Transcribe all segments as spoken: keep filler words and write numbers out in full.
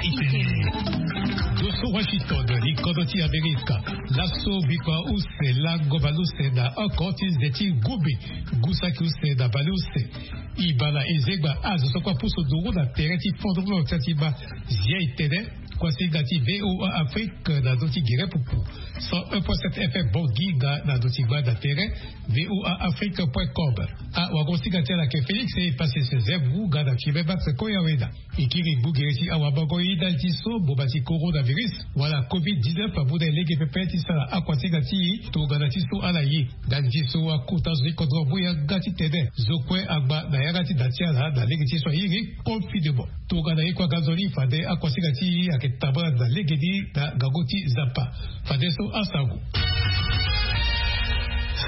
Ndo so Washington, likodro ti Amerika. Laso bikua use lango baleuse na oko ti nze ti ngumbe. Ngu saki use na baleuse. Ibala ezengba azo so kue apusu nduru na tere ti fondre ti ma zia etene. Kuasinga ti VOA Afrique na ndö ti gere pupu. Cent un point sept FM Bangui nga na ndö ti gba na tere. VOA Afrique point com. Awagosinga ti ala ayeke Félix e pasi Joseph Ngunga na Fiebe Max Koyawena. E kiri ngu gere ti awamango ye ndali ti so mboma ti coronavirus wala covid dix-neuf amu na e lege pepe ti sara akuasinga ti e tongana ti so ala ye. Ndali ti so akota zo ti kodro amu yanga titene zo kue angba na yanga ti da ti ala na lege ti so airi confinement. Tongana ye kue aga nzoni fade akuasinga ti e ayeke tambula na lege ni na ngangu ti Nzapa. Fade so asango.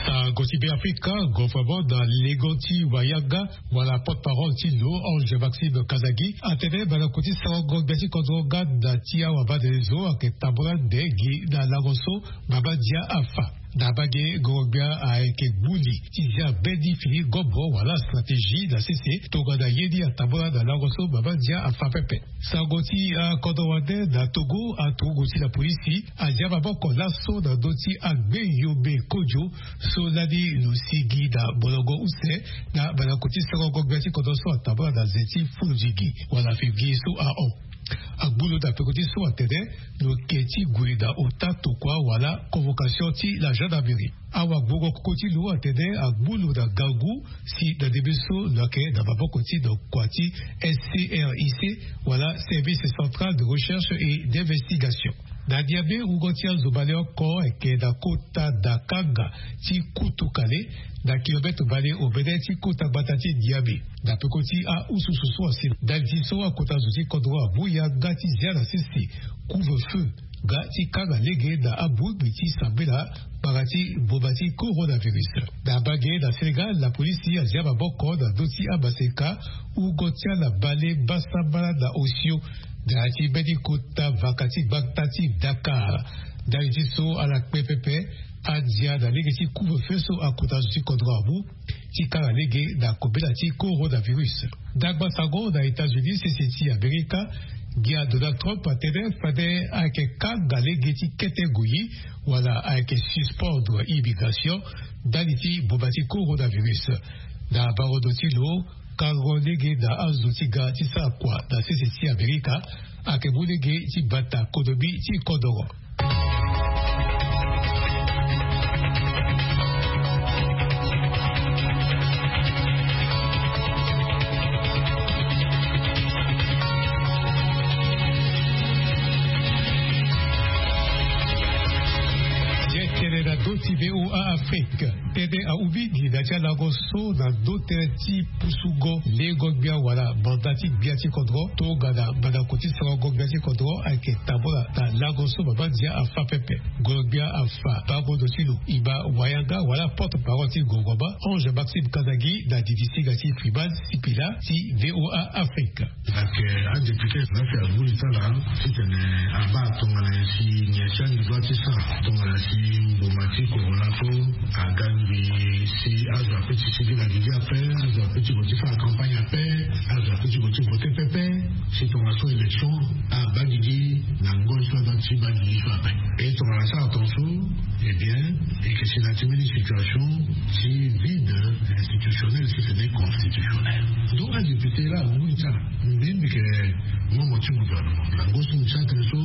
Sango ti Beafrika, gouvernement na lengo ti wayanga wala porte-parole ti lo Ange Maxime Kazagi atene bana kuti sarango gbia ti kodro nga na ti awabadelezo ayeke tambula nde gi na lango so mama ndia afa. Na bage gorongbia ayeke gbu li ti zia mbeni fini gombo wala stratégie na sese tongana ye ni atambula na lango so mama ndia afa pepe. Sango ti akodro wande na Togo, aturugu ti la polisi azia maboko laso na ndö ti agbe yombe kodio so lani lo sigi na molongo use na bana kuti sarango gbia ti kodro so atambula na nze ti fulu zingi wala février so ahon. Agbu lo na peko ti so atene lo ke ti gue na ota tokua wala convocation ti la gendarmerie. Awagbongo koko ti lo atene agbu lo na ngangu si na ndembe so lo yeke na maboko ti nokua ti SCRIC wala Service Central de Recherche et d'Investigation. Na Niamey, wungo ti azo baleoko ayeke na kota da kanga ti kutu kale na kilomètre bale omene ti kota gbata ti Niamey. Na peko ti aususu so asi ndali ti so akota zo ti kodro amu yanga ti zia na sese couvre-feu nga ti kanga lege na abongbi ti sambela kpara ti mboma ti coronavirus. Na bage na Sénégal, la polisi azia maboko na ndö ti amaseka wungo ti ala bale mbasambala na osio na ya ti mbeni kota vaka ti gbata ti Dakar. Ndali ti so ala kpe pepe andia na lege ti couvre-feu so akota zo ti kodro amu ti kanga lege na kobela ti coronavirus. Ndagba sango na États-Unis, sese ti Amerika, ngia Donald Trump atene fade ayeke kanga lege ti kete ngoi wala ayeke suspendre immigration ndali ti mboma ti coronavirus. Na barondo ti lo, kango lege na azo ti ga ti sara kua na sese ti Amerika ayeke mu lege ti bata konomi ti kodoro. Ye tene na ndö ti VOA Afrique. Tënë ahu mingi na ti alango so na ndö tënë ti pusungo lengo gbia wala manda ti gbia ti kodro tongana mandako ti sarango gbia ti kodro ayeke tambula na lango so mama ndia afa pepe. Ngolo gbia afa bango ndo ti lo e baa wayanga wala porte-parole ti gouvernement Ange Maxime Kazagi na didi singa ti Freeman Sipila ti VOA Afrique. Ayeke adéputé na si amu li ti ala titene abaa tongana nyen si nyen si andi doit ti sara tongana si mboma ti corona so aga ngbii si azo ape ti sigi na gigi ape, azo ape ti gue ti sara campagne ape, azo ape ti gue ti vote pepe, si tongana so élection abaa gigi na ngoi so adoit ti baa gigi so ape. E tongana asara tongaso, eh bien, e yeke si na ya ti mbeni situation ti vide institutionnel si ce n'est constitutionnel. Donc adéputé laa amu li ti ala. Mbi mbi yeke membre ti gouvernement. Na ngoi so mbi sara tënë so,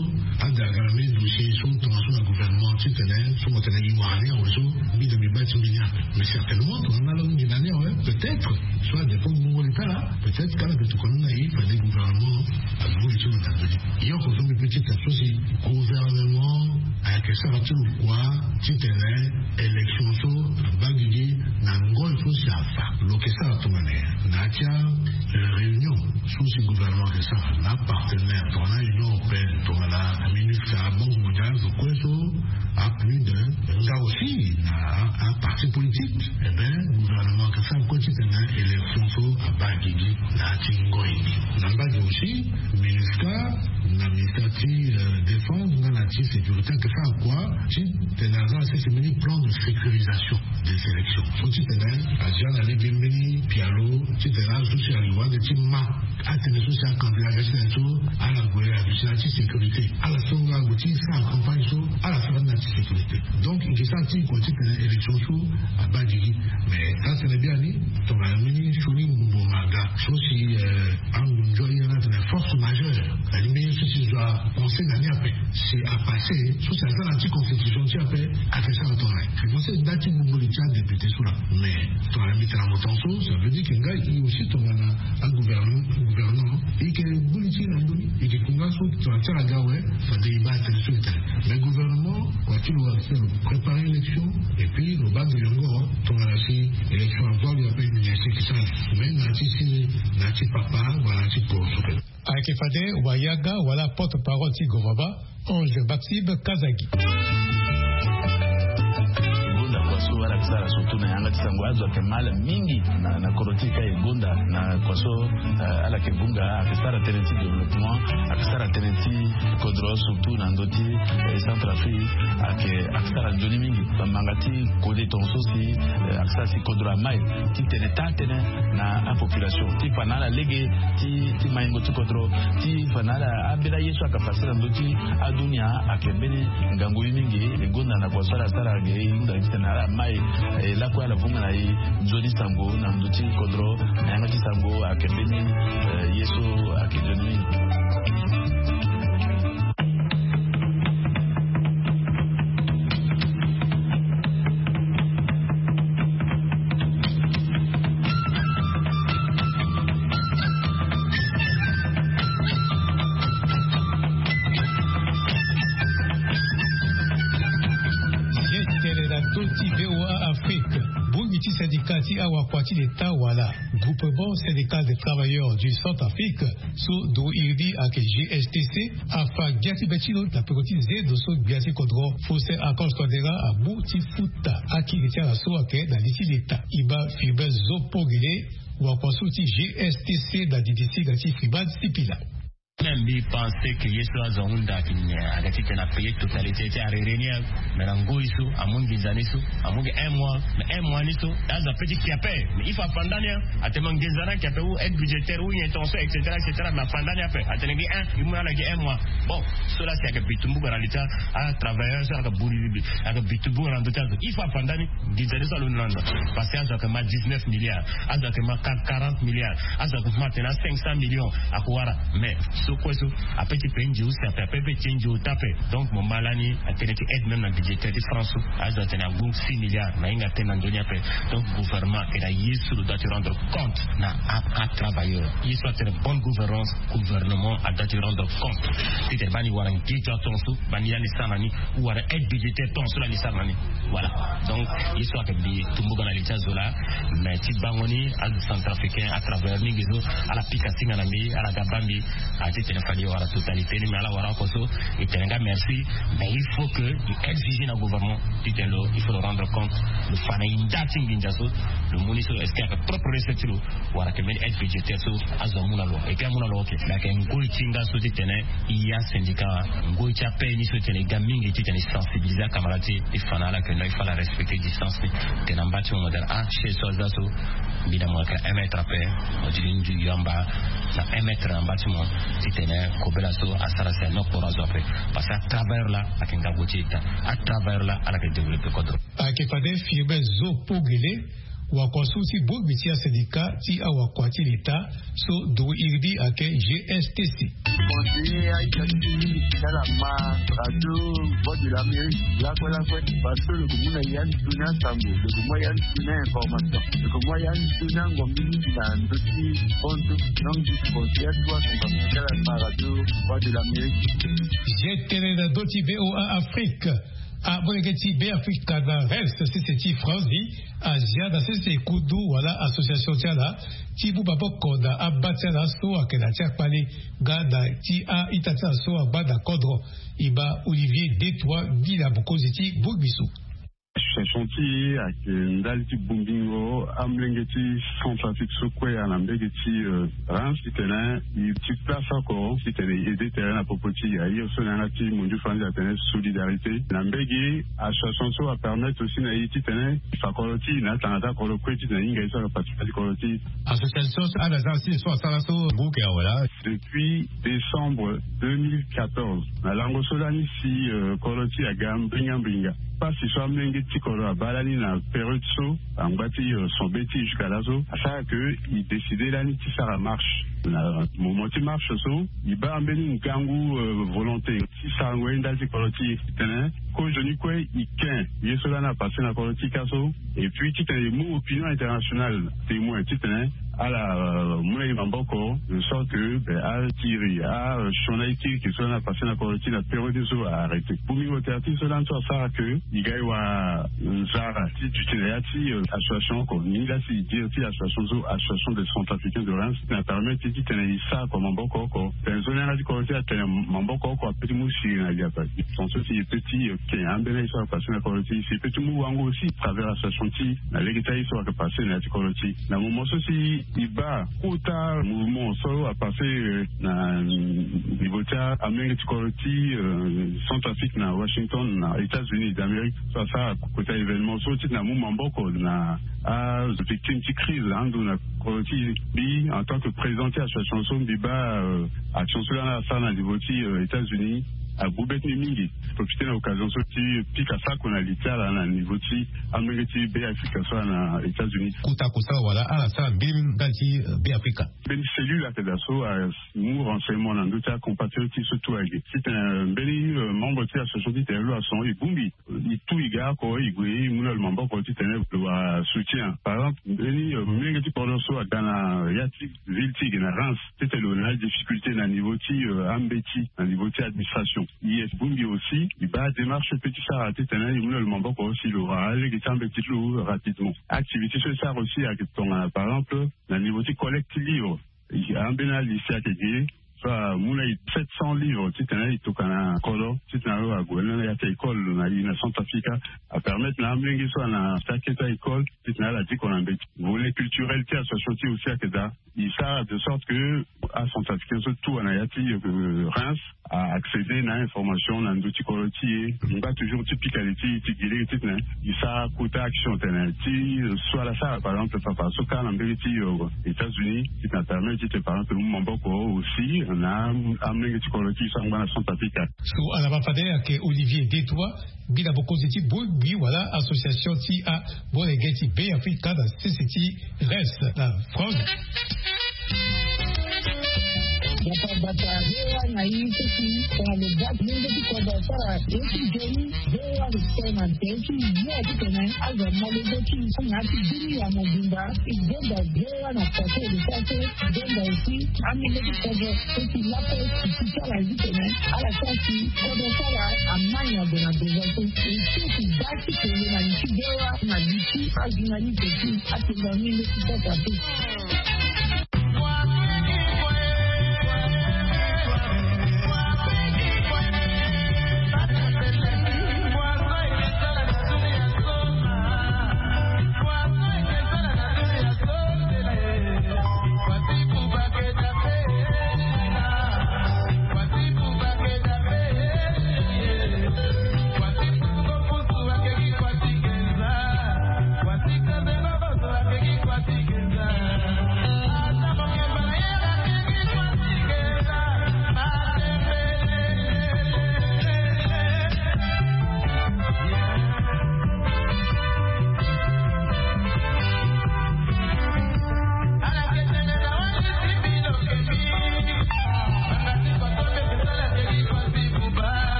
ade aga na mbeni dossier so tongaso na gouvernement titene so mo tene e wara ni awe so, mbi de mbi baa ti mbi ni ape. Mais certainement tongana ala mingi na ni awe, peut-être so adépend ti bongo li ti ala. Peut-être kala mbi tokua ni na e fade gouvernement amu li ti lo na ndö ni. Ye oko so mbi peut ti tene so si gouvernement ayeke sara ti lo kua titene élection so abaa gigi na ngoi so si afa. Lo yeke sara tongana nyen? Na ya ti aréunion so si gouvernement ayeke sara na apartenaire tongana Union européenne, tongana MINUSCA, Banque mondiale, zo kue so a plus de nga aussi na aparti politique. Eh ben gouvernement ayeke sara kue titene élection so abaa gigi na ya ti ngoi ni. Na mbage aussi MINUSCA na ministère ti, euh, défense nga na ti sécurité ayeke sara kua titene aza na sese mbeni plan de sécurisation des élections so titene azia na lege mbeni pialo titene azo so si ayeke wande ti ma atene so si acandidat aga titene so ala gue abi Ti sécurité ala so nga ague ti sara campagne so, ala sara ni na ti sécurité. Donc e ke sara ti kua ti tene élection so abaa gigi. Mais sara tene biani tongana mbeni sioni mbongo aga so si angunzo aye na tene force majeure. Alingbi ye so si zo apense na ni ape si apasse so si aza na ti constitution ti ape. Ake sara tongana e pense nda ti gbungo li ti adéputé so laa. Mais tongana mbi tene na moto so ça veut dire que ngai aussi tongana agouvernant gouvernant e ke buli ti na ndoni e ke kunga so tongana ti ala ga awe. Fade e baa tene so e tene mais gouvernement kua ti lo axe lo préparer élection. Et puis lo baa ndo yongo tongana si élection azo ali ape ni ese ke sara mais na ti si na ti papa wala na ti poro so. Ayeke fade wayaga wala porte parole ti gouvernement Ange Maxime Kazagi. Gonda kua so ala ke sara surtout na yanga ti sango azo ayeke mal mingi na na kodro ti e ka e gonda na kua so. Ala yeke gunga ayeke sara tënë ti développement ayeke sara tënë ti kodro surtout na ndö ti centre afrique. Ayeke ayeke sara nzoni mingi bamanga ti kode tonga so si ayeke sara si kodro amai ti tene taa tënë na apopulation ti fa na ala lege ti ti maingo ti kodro ti fa na ala ambeni aye so ayeke pase na ndö ti adunia. Ayeke mbeni ngangu ye mingi e gonda na kua so ala sara ge e hunda ti tene ala mai e lakue ala vunga na e nzoni sango na ndö ti kodro na yanga ti sango ayeke mbeni ye so ayeke nzoni mingi. Ye tene na ndö ti voa afrique. Bongbi ti syndicat ti awakua ti leta wala groupement syndical des travailleurs du centre afrique so duru iri ni ayeke gstc afa gbia ti be ti lo na peko ti nzendo so gbia ti kodro faustin archange tondera amu ti futa akiri ti ala so ayeke na li ti leta. E baa firmin zo pogele wakua so ti gstc na didi singa ti firmin sipila. Même mbi pense que ye so azo ahunda ayeke ti tene apaye totalité ti arere ni. Mais na ngoi so amu nginza ni so amu gi un mois mais un mois ni so azo ape ti ki ape. Mais il faut afa nda ni. Atene ma nginza ni ayeke ape ou aide budgétaire ou nyen tonga so et cetera et cetera mais afa nda ni ape atene gi un i mu na ala gi un mois. Bon, so laa si ayeke bi tumbuka na li ti atravailleur so ayeke buri ayeke bi tumbuka na ndö ti azo il faut afa nda ni. Nginza ni so alondo na ndo parce que azo ayeke ma dix-neuf milliards azo ayeke ma quarante milliards azo ayeke ma atene a cinq cents millions. Ako wara mais so kue so ape ti pe ndio si ape ape pe ti ndio ta ape. Donc mo ma lani atene ti aide même na budgétaire ti france so azo atene agu six milliards na hinga tënë na ndoni ape. Donc gouvernement ayeke na ye so lo doit ti rendre compte na atravailleur ye so atene bonne gouvernance. Gouvernement adoit ti rendre compte ti tene bani wara nge ti atonga so bani lani sara na ni ou wara aide budgétaire tonga so lani sara na ni. Voilà. Donc ye so ayeke bi tumbuka na li ti azo laa mais ti bango ni azo centrafricain atravers mingi so ala pika singa na mbi ala ga baa mbi. Ati tene fade e wara totalité ni mais ala wara oko so e tene nga merci. Mais il faut que e exige na gouvernement ti tene lo il faut lo rendre compte lo fa na e nda ti nginza so lo mu ni so est ce que ayeke propre recette ti lo wala ayeke mbeni aide budgétaire so azo amu na lo. Eke amu na lo oke mais ayeke ngoi ti nga so ti tene e asyndicat ngoi ti ape ni so ti tene e ga mingi ti tene e sensibiliser akamara ti e e fa na ala ayeke no e fa ala respecter distance ni. Tene na mba ti mo mo tene ah chaise so aza so mbi na mo ayeke un mètre ape. Mo ti li ndu yo amba na un mètre na mba ti mo ti tene kobela so asara si anokporo azo ape. Parce que atravailleur laa ayeke ngangu ti eta atravailleur laa ala yeke développer kodro. Ayeke fade firmin zo pogele wakua so ti bongbi ti asyndicat ti awakua ti leta so duru iri ni ayeke gstc. Conseiller aita ti mingi ti ala ma radio voix de l'amérique lakue lakue. Parce que lo ke mu na ya ni tuni asango lo ke mu ya ni tuni ainformation lo ke mu ya ni tuni angongi mingi na ndö ti konto. Donc ti conseiller atu asango ti ala ma radio voix de l'amérique. Ye tene na ndö ti voa afrique. Amolenge ti beafrika na rels sese ti france ni azia na sese kundu wala association ti ala ti mu maboko na aba ti ala so ayeke na ti akpale nga na ti a-ita ti ala so angba na kodro. E ma olivier detroit ngi na mokonzi ti bongbi so. Association ti e ayeke ndali ti bongbingo amolenge ti Centrafrique so kue ayeke na mbege ti Reims titene e ti place oko titene e aide tere na popo ti e. Aye so na yanga ti mondio fandi atene solidarité na mbege. Association so apermettre aussi na e titene e fa kolo ti e na atanga ti akolo kue titene e hinga e so ayeke participer ti kolo ti e. Association so ala za si so asara so ngu yeke awe laa. Depuis décembre deux mille quatorze na lango so lani si kolo ti e aga mbinga mbinga. Pasi so amolenge ti kolo abaa lani na période so angba ti sombe ti e jusqu'à laso asara ke e décider lani ti sara marche. Na moment ti marche so e baa mbeni ngangu volonté ti sarango ye ndali ti kolo ti e titene kozoni kue e ken ye so lani apasser na kolo ti e ka so. Et puis titene e mu opinion internationale témoin titene ala mu na e maboko de sorte ke be atiri asioni na e ti eke so lani apasser na kolo ti e na période so a arrêter. Bongbingo tere ti e so lani so asara ke e ga e wara nzara ti duti na ya ti association oko ni laa si e dire ti association so association des Centrafricains de Reims na permettre titene e sara oko maboko oko. Tene so ni yanga ti kolo ti e atene maboko oko ape ti mu siri na liata. Ton so si e pe ti ken ambeni aye so apasser na kolo ti e si e pe ti mu wango aussi travers association ti e na lege ti aye so ayeke passer na ya ti kolo ti e. Na moment so si e baa kota mouvement so apasser na niveau ti amolenge ti kolo ti Centrafrique na Washington na États-Unis d'Amérique so asara kota événement so titene amu maboko na avictime ti crise ando na kolo ti e. Mbi en tant que président ti association so mbi baa action so lani asara na niveau ti États-Unis agu be ti mbi mingi. Profiter na occasion so ti pika sako na li ti ala na niveau ti amolenge ti Be Afrika so ala na États-Unis. Kota kosala wala ala sara mbeni ndali ti Be Afrika. Mbeni cellule ayeke daa so amu renseignement na ndö ti acompatriote ti e so tout ayeke titene mbeni membre ti association ti tene lo ason e bongbi e tu e ga oko e gue e mu na lo maboko titene lo wara soutien. Par exemple mbeni molenge ti kodro so aga na ya ti ville ti e ge na Reims titene lo na adifficulté na niveau ti ambeti na niveau ti administration. E bongbi aussi e baa démarche pe ti sara titene e mu na lo maboko si lo wara alege ti ambeti ti lo rapidement. Activité so e sara aussi ayeke tongana par exemple na niveau ti collecte ti livre. Ambeni alycée ayeke ge so amu na e sept cents livres titene e tokua na kodro titene lo ague na ya ti école na e na Centrafrique. Apermettre na amolenge so ana ti akete école titene ala diko na mbeti. Volet culturel ti association ti e aussi ayeke daa. E sara de sorte que acentrafricain so tout ana ya ti Reims a accéder na information na ndö ti kodro ti e. E ngba toujours ti pika li ti e ti gi lege titene e sara kota action tene ti so ala sara par exemple papa so kâ na mbege ti États-Unis titene apermettre titene par exemple e mu maboko aussi na amolenge ti kodro ti e so angba na Centrafrique. So ala ma fade ayeke Olivier Detois. Mbi na bokonzi ti bongbi wala association ti amolenge ti Be Afrika na sese ti Reims na France. Bata bata, V O A na ye so si tongana lo baa ti lenge ti kodro asara ye ti nzoni, V O A lo tene na tere ti ye titene azo amolenge ti e so na ya ti dunia mobimba. E gonda V O A na poto lo sara so e gonda aussi amolenge ti kodro so si lape e si ti ala titene ala sara si kodro ti ala ama nyango na devant so. E si e si baa ti tene na li ti V O A na li ti ajournaliste ti atene na ni leti kota te.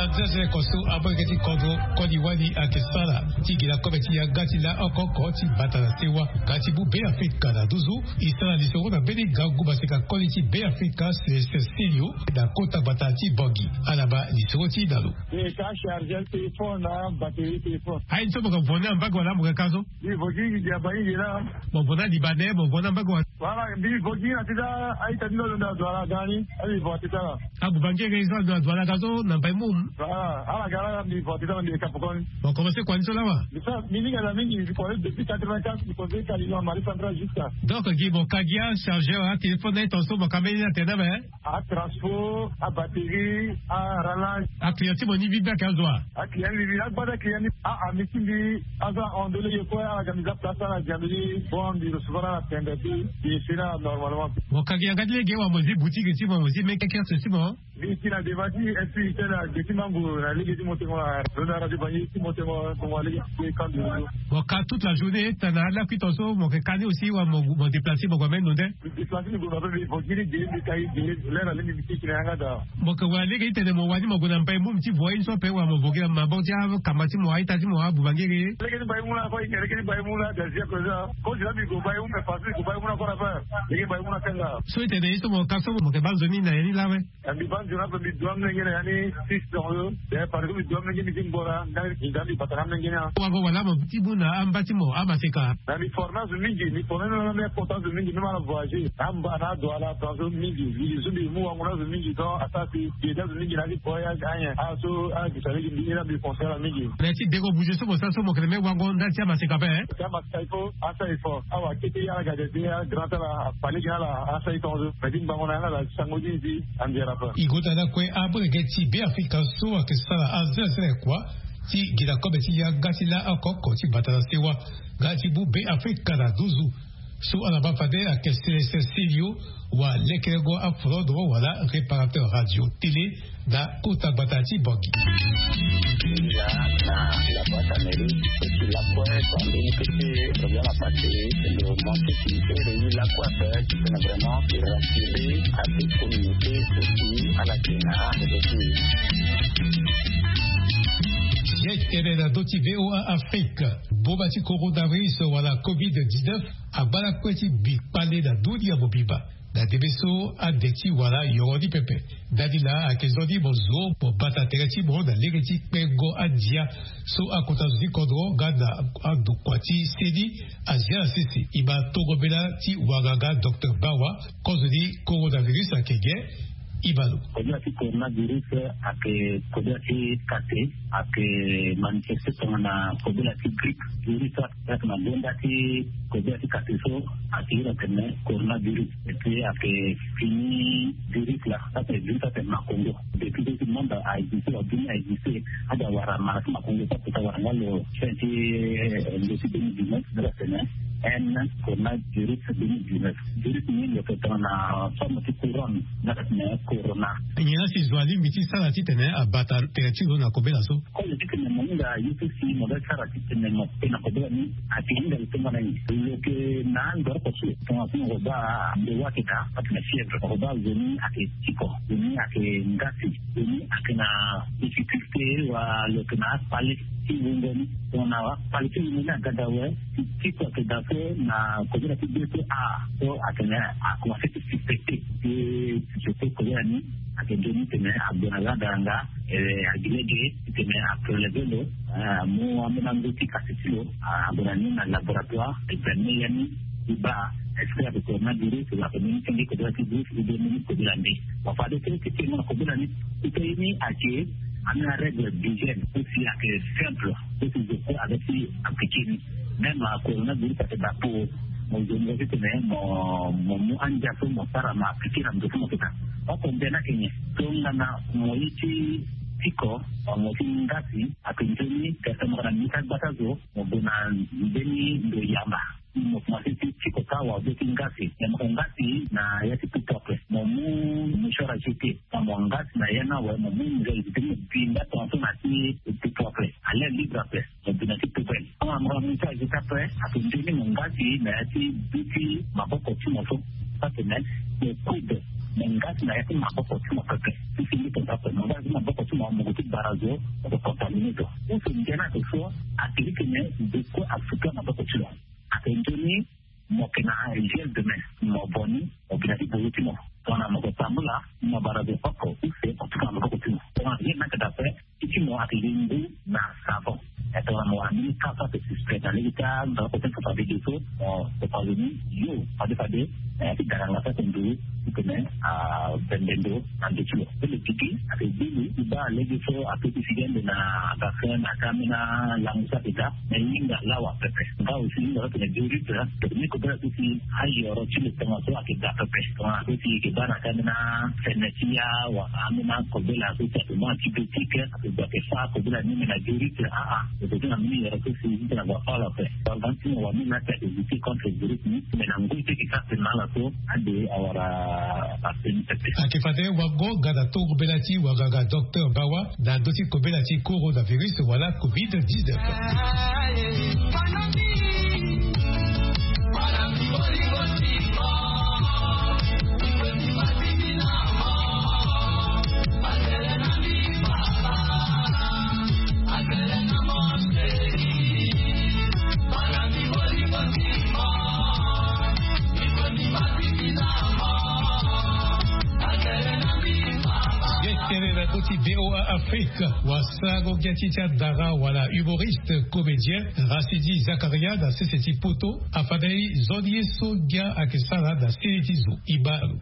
Aza sere koso abongeke ti kodro koli wali ayeke sara ti gi na kobe ti yanga ti laa oko oko ti bata na sewa. Ka ti bu Beafrika na nduzu e sara lisoro na mbeni gangu maseka koli ti Beafrika Célestin Silio na kota gbata ti Bangui. Ala baa lisoro ti na lo. E ka chargeur téléphone na batterie téléphone. Aye ni so mo ka vo ni na mbage wala mo ka ka so? Mbi vo gi gi gi aba gi gi laa. Mo vo ni na libanais, mo vo ni na mbage wala? Wala mbi vo gi na tita. A-ita ti ndo ndo ndo azo ala ga ni. A mbi vo na tita laa. Abubangere so ando azo ala ga so na mbai mum. Wala ala ga laa mbi vo na tita laa mbi ka pokoni. Mo commencé kua ni so laa wa? Mbi sa mbi linga na mingi mbi kua ni depuis quatre-vingt-quatre mbi kua ni kali na Mali central jusqu'à. Donc gi mo ka gi achargeur atéléphone na ye tongaso mo ka mbeni ni atene na me? Atransport, abatterie, arallage. Aclient ti mo ni vide ni ayeke azo wa? Aclient ni vide ni agbada client ni. A ami ti mbi aza hon de lege kue ala ga mbi za place ala ga mbi ni. Bon mbi recevoir ala pembe ti mbi esi ni ala normalement. Mo ka gi yanga ti lege wa mo zi boutique ti mo mo zi meke kiosque ti mo? Mbi ti na devant ti esprit ti tene age ti mango na lege ti mo tengo na lo na radio bangi ti mo tengo na tongo na lege ti kan de lo. Mo ka toute la journée tana lakui tongaso mo yeke ka ni aussi wa mo déplacer mo gue ambeni lo nde? Déplacer ni gue na pe mbi vo gi ni ge mbi ka gi ge. Lere alingbi mbi ti ki na yanga daa. Mo yeke wara lege ti tene mo wani mo gue na mbai mum ti vo ye ni so ape wala mo vo gi na maboko ti akama ti mo a-ita ti mo abubangere? Lege ti mbai mum laa kue e yeke lege ti mbai mum laa da zia kozo. Kozo laa mbi gue mbai mum me façon mbi gue mbai mum laa kue na pe. Lege mbai mum laa kanga. So e tene ye so mo ka so mo yeke baa nzoni na ya ni laa awe? Mbi baa nzoni ape mbi du amolenge na ya ni. Six tongaso. Dayere parce que mbi du amolenge mbi ti ngbo na ndani mbi bata na amolenge ni. Wango wala mo ti mu na amba ti mo amaseka? Na mbi forme azo mingi mbi forme même na mbi important azo mingi même ala voyager na amba na ado ala tongaso mingi. Mbi zo mbi mu wango na azo mingi donc asara si mbi ede azo mingi na ya ti voyage anyen ala so ala gisa lege mbi iri na mbi conseil ala mingi. Na ya ti dengo bouger so mo sara so mo yeke na me wango ndali ti amaseka ape? Ti amaseka il faut asara effort awa kete ala ga dede ala grand ala afa lege na ala asara e tongaso me ti ngbanga na yanga ala sango ti ni si. Anzera ape. E gota lakue abongeke ti Beafrika so ayeke sara azerazera kua ti gi na kobe ti yanga ti laa oko oko ti bata na sewa. Nga ti bu Beafrika na nduzu. So ala baa fade ayeke Célestin Silio wa lekerengo afolondro wala réparateur radio télé na kota gbata ti Bangui. Nga na la boîte à mairie eti lakue tongana mbeni kete. Problème à passer le monte ti ere ni lakue ape ti tene vraiment e rassurer à toute communauté aussi ala tena aussi. Ye ti tene na ndö ti VOA Afrique. Boma ti coronavirus wala covid dix-neuf agba lakue ti bi kpale na ndö ni ya mobimba. Na debe so ade ti wara yoro ni pepe. Ndali laa ayeke nzoni mo zo mo bata tere ti mo na lege ti kpengo andia so akota zo ti kodro nga na andokua ti seni. Azia na sese e ma tongo mbela ti wanganga docteur Bawa. Kozo ni coronavirus ayeke ge. E ma lo. Kobela ti coronavirus ayeke kobela ti kate. Ayeke manifeste tongana kobela ti grippe. Virus ayeke na gonda ti kobela ti kate so ayeke iri atene coronavirus. Et puis ayeke fini virus la. Ayeke virus ayeke makongo. Depuis so ti monde a existe wa bini a existe. Ade awara mara ti makongo so akota wara nga lo fin ti ndo ti deux mille dix-neuf nga atene n coronavirus deux mille dix-neuf. Virus ni lo yeke tongana forme ti couronne nga atene corona. Nyen la si zo alingbi ti sara titene abata tere ti lo na kobela so? Kozo ti tene mo hinga ye so si mo ga sara titene mo te na kobela ni. Ayeke hinga lo tongana nyen? Lo yeke na andoroko so tongana so mo ko baa ndo wa ayeke daa atene fièvre mo ko baa zo ni ayeke tiko zo ni ayeke ngasi zo ni ayeke na difficulté wa lo yeke na akpale ti wungo ni. Tongana akpale ti wungo ni aga daa awe ti tiko ayeke daa so na kobela ti be so a so atene akomanse ti suspecté. Ti suspecté kobela ni ayeke nzoni tene ague na lada yanga. Agi lege titene apreleve lo amu ambeni ango ti kasi ti lo ague na ni na laboratoire examine ya ni ti baa est-ce que ayeke coronavirus wala ayeke mbeni senge kobela ti virus ou bien mbeni kobela mbi. Bon fade so ti tengo na kobela ni ti pe ye ni ayeke ambeni arègle d'hygiène aussi ayeke simple. Aussi je peux avec ti appliquer ni même coronavirus ayeke daa po mo zo mo titene mo mo mu andia so mo sara mo appliquer na ndo so mo yeke daa. Oko mbeni ayeke nyen? Tongana mo ye ti tiko mo ti ngasi ayeke nzoni tene mo yeke na mbi ti agbata zo mo gue na mbeni ndo yamba. Mo komanse ti tiko kâ wa be ti ngasi me mo yeke ngasi na ya ti pupu ape mo mu mouchoir à jeter. Tongana mo ngasi na ya ni awe mo mu mouchoir à jeter mo bi nda tongaso na ya ti pupu ape. Alair libre ape. Mo bi na ti poubelle tongana mo yeke na mouchoir à jeter ape ayeke nzoni mo ngasi na ya ti bi ti maboko ti mo so. Atene mo coude Me nga ti na ya ti maboko ti mo pepe ti si mbi tonga ape, me nga ti maboko ti mo amungo ti bara zo, oko contamine zo. Use ndia ni ake so ake ti tene bekue afuta maboko ti lo. Ake nzoni mo yeke na gel de main, mo bo ni, mo bi na ti buru ti mo. Tongana mo yeke tambula, mo bara zo oko use mo tuka na maboko ti mo. Tongana gel ni ake daa ape, ti ti mo ake gi ngu na savon. E tongana mo wara mbeni ka so ake suspect na lege ti andako ti fa fade ge so, mo, mo fa zo ni yo fade fade. E ti dara nga so ake ndu ti tene abembe ndo na ndo ti lo. Ti lo gigi ake gbu lo ti baa lege so ake ti sigi ande na vaccin na ka ambeni alango so ake daa. Me hinga lawa pepe. Nga aussi hinga so tene juriste, tene kobela so si ayoro ti lo tongaso ake daa pepe. Tongana so si eke baa na ka ambeni afene ti ya wala ambeni akobela so si ake mu antibiotique, ake gue ake fâ kobela ni me na juriste, aa, eke ti na mbeni yoro so si ti tene ague afâ lo ape. Tongana ti mo wara mbeni la ti ake lutter contre virus ni, me na ngoi ti eke sara tene na ala so ade awara ape ni pepe. Ake fade wango ga na tongobela ti wanganga docteur Bawa na ndö ti kobela ti coronavirus wala covid dix-neuf. Ge tene na ndö ti V O A Afrique, wasarango ge ti ti adara wala humoriste comédien Racidi Zakaria na sese ti poto afandeli nzoni ye so ge ayeke sara na sese ti zo. E baa lo.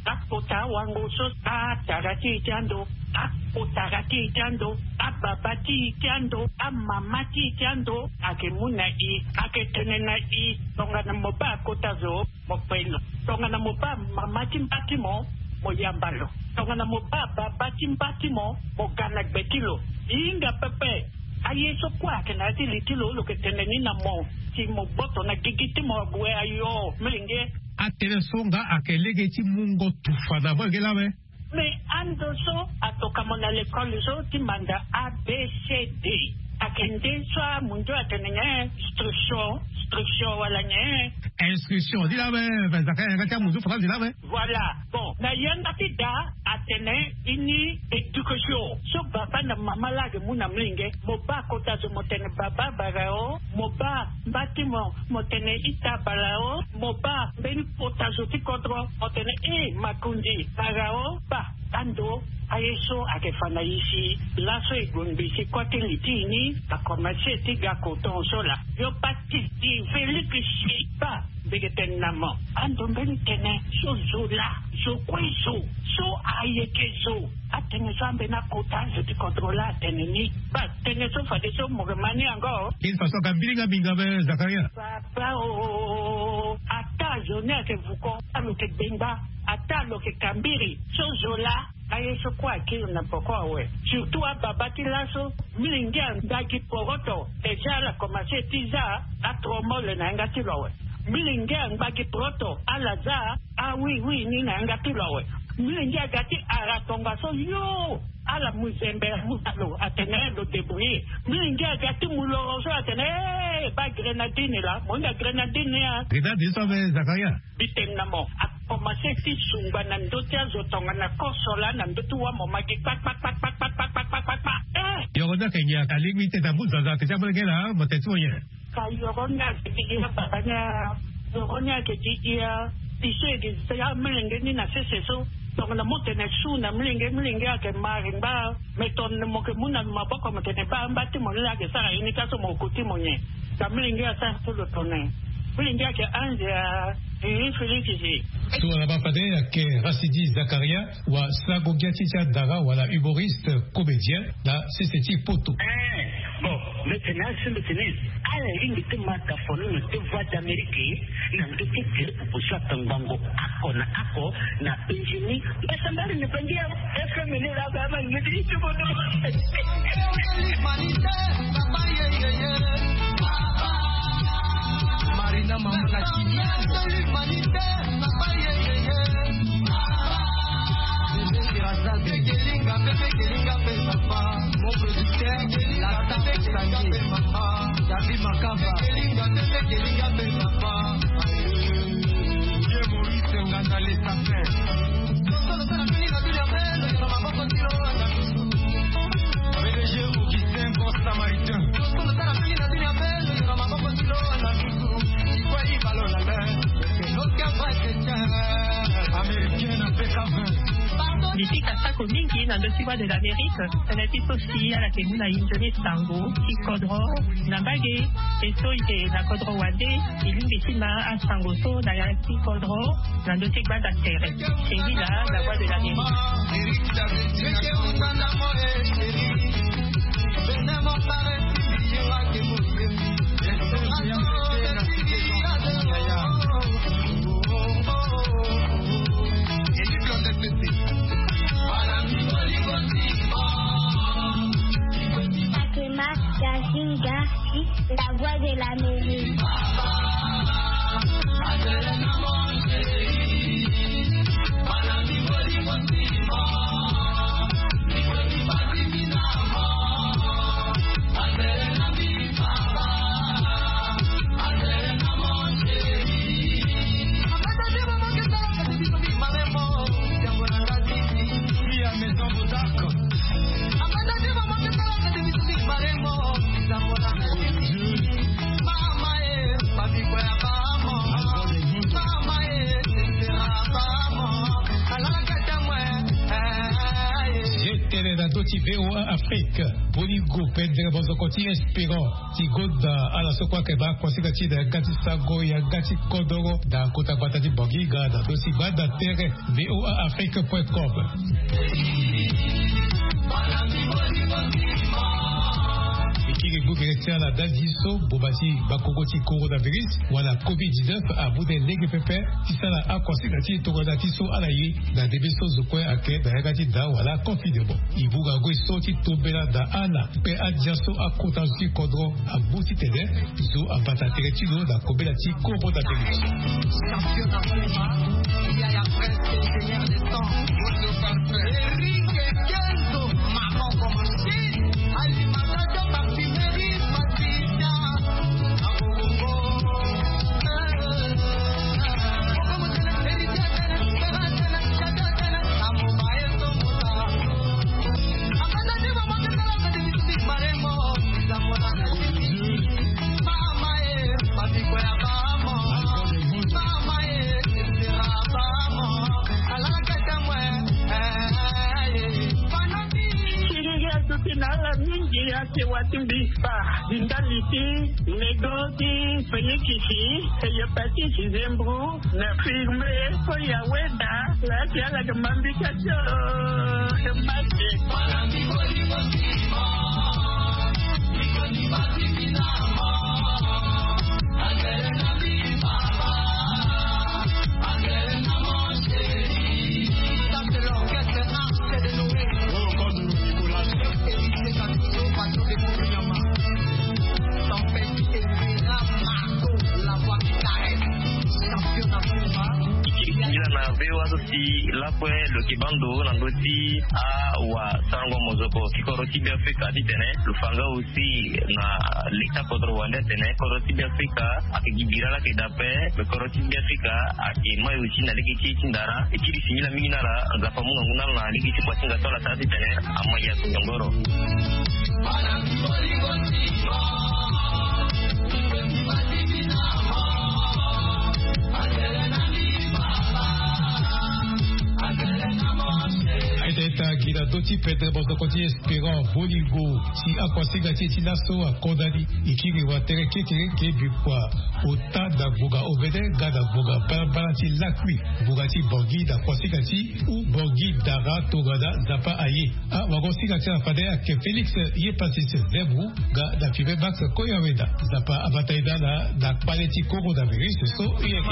Akota wango so, atara ti e ti ando, akotara ti e ti ando, ababa ti e ti ando, amama ti e ti ando, ake mu na e, ake tene na e, tongana mo baa kota zo, mo kpe lo. Tongana mo baa mama ti mba ti mo, mo yamba lo. Tongana mo baa baba ti mba ti mo, mo ga na gbe ti lo. E hinga pepe. Aye so kue ayeke na ya ti li ti lo, lo yeke tene ni na mo si mo gboto na gigi ti mo ague ayo, molenge. Atënë so nga ayeke lege ti mungo tufa na molenge laa awe. Me ando so atoka mo na lekole so ti manda A B C D. Ayeke nde so amunzu atene nyen? Instruction, instruction wala nyen? Instruction ni laa awe. Zaka yanga ti amunzu faranzi laa awe. Voilà. Bon, na yanga ti da atene ini éducation so baba na mama laa ayeke mu na molenge. Mo baa kota zo mo tene baba bara o, mo baa mba ti mo mo tene ita bara o, mo baa mbeni kota zo ti kodro mo tene e makonzi bara o. Baa ando aye so ayeke fa na e si. Laso e gue ngbi si kue ti li ti e ni akomanse ti ga koton so laa. Yo baa ti di Félix si baa. Mbi yeke tene na mo ando mbeni tënë so zo laa, zo kue zo, so ayeke zo. Atënë so ambeni akota zo ti kodro laa atene ni. Baa tënë so fadeso mo yeke ma ni yango. Kini faso aga mbilinga minga be Zakaria. Baba o, ata zo ni ayeke vuko, ata lo yeke gbengba, ata lo yeke kambiri so zo laa. Aye so kue akiri na poko awe. Surtout ababa ti laso, molenge angba gi poroto, déjà ala komanse ti za atromole na yanga ti lo awe. Molenge angba gi poroto, ala za awiwi ni na yanga ti lo awe. Molenge aga ti ara tongaso yo, ala mu zembe amu na lo atene lo débrouiller. Molenge aga ti mu loro so atene e baa grenadine laa, mo hinga grenadine ni a. Grenadine so awe Zakaria. Mbi tene na mo, akomanse ti sungba na ndö ti azo tongana koso laa na ndö ti wâ mo ma gi kpakpakpakpakpakpakpakpakpakpa. Eh! Yoro ni ayeke nyen? Alingbi ti tene amu zaza ake ti amolenge laa, mo tene ti mo nyen? Ka yoro ni ayeke ti hia baba ni a. Yoro ni ayeke ti hia. Biso e ke za amolenge ni na sese so. Tongana mo tene su na molenge, molenge ayeke ma ringba. Me tongana mo yeke mu na maboko mo tene baa mba ti mo ni laa ayeke sara ye ni ka so mo ko ti mo nyen? Ka molenge asara so lo tene. Molenge ayeke anze a. Iri Félix si. So wala baa fade ayeke Racidi Zakaria, wasarango ge ti ti adara wala humoriste comédien na sese ti poto. Eh, bon, mbi tene asi mbi tene ala lingbi ti ma tafoni na ti Voix d'Amérique na ndö ti groupe so atongbango oko na oko na Benjini. Mbasambali ni bangi ya F M ni la ba ma ni ti bono. Marina Mamana Kimiango. Bébé Sherazade. Bekelinga, bekelinga, pe papa. Mon producteur, la Tafek Sangi. David Makamba. Vieux Maurice Nganda, les sapins. Ndoki Voix de l'Amérique, tene ti so si ala yeke mu na e nzoni sango ti kodro na mbage. E so e yeke na kodro wande, e lingbi ti ma asango so na ya ti kodro na ndö ti gbanda tere. Sheila, la Voix de l'Amérique. Fatima Yazinga, la Voix de l'Amérique. Ye tene na ndö ti V O A Afrique, boligo pendere mozoko ti Espérant ti gonda ala so kue ayeke baa kuasinga ti e na yanga ti sango, yanga ti kodoro na kota gbata ti Bangi nga na ndö ti gbanda tere V O A Afrique point com. E kiri gbu gere ti ala ndali so boma ti bakongo ti coronavirus wala covid dix-neuf amu de lege pepe ti sara akuasinga ti e tongana ti so ala ye na ndembe so zo kue ayeke na yanga ti nda wala confinement. E mu ngangu e so ti tombela na ala kpe andia so akota zo ti kodro amu titene zo abata tere ti lo na kobela ti coronavirus. Champion na Puma, Yaya Prince, ingénieur de son, Roger Parfum, Eric Kenzo, Maman Communauté, Alimentation, Parfumerie, Patricia, Agogo, Siriri aduti na ala mingi ake wati mbisa, di ndali ti nego ti feyekisi, hepatite, zembro, na firme, so ya weda, la ti ala ke mambika tio, e mate. Singila na V O A so si lakue lo yeke baa ndo na ndö ti awasarango mozoko ti kodro ti Beafrika titene lo fa nga aussi na leta kodro wande atene kodro ti Beafrika ayeke gi bira laa ayeke daa ape. Me kodro ti Beafrika ayeke mai aussi na lege ti e ti ndara. E kiri singila mingi na ala, Nzapa amu ngangu na ala na lege ti kuasinga so ala sara titene amai ya tongoro. Aita ita gi na ndö ti pendre mozoko ti Espérant Boligo si akuasinga ti e ti laso akonda ni. E kiri watere kekereke bikua ota na ngbonga ovene nga na ngbonga balabala ti lakui ngbonga ti Bangui na kuasinga ti u Bangui dara tongana Nzapa aye. Awagosinga ti ala fade ayeke Félix Yepasis Zebou nga na Fibe Max Koyaweda. Nzapa abata e na ala na kpale ti coronavirus so e yeke.